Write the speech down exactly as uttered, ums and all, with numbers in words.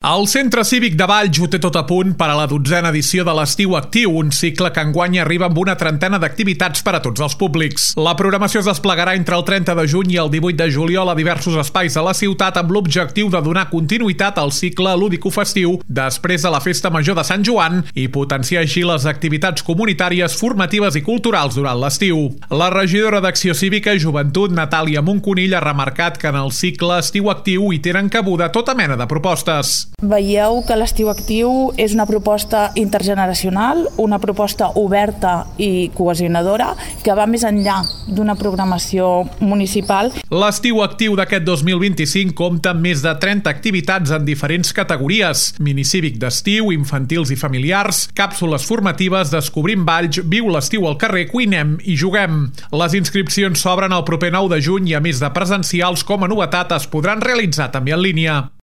El Centre Cívic de Valls ho té tot a punt per a la dotzena edició de l'Estiu Actiu, un cicle que enguany arriba amb una trentena d'activitats per a tots els públics. La programació es desplegarà entre el trenta de juny i el divuit de juliol a diversos espais de la ciutat amb l'objectiu de donar continuïtat al cicle lúdico-festiu després de la Festa Major de Sant Joan i potenciar així les activitats comunitàries, formatives i culturals durant l'estiu. La regidora d'Acció Cívica i Joventut, Natàlia Monconill, ha remarcat que en el cicle Estiu Actiu hi tenen cabuda tota mena de propostes. Veieu que l'Estiu Actiu és una proposta intergeneracional, una proposta oberta i cohesionadora que va més enllà d'una programació municipal. L'Estiu Actiu d'aquest dos mil vint-i-cinc compta amb més de trenta activitats en diferents categories: minicívic d'estiu, infantils i familiars, càpsules formatives, descobrim Valls, viu l'estiu al carrer, cuinem i juguem. Les inscripcions s'obren el proper nou de juny i a més de presencials, com a novetat es podran realitzar també en línia.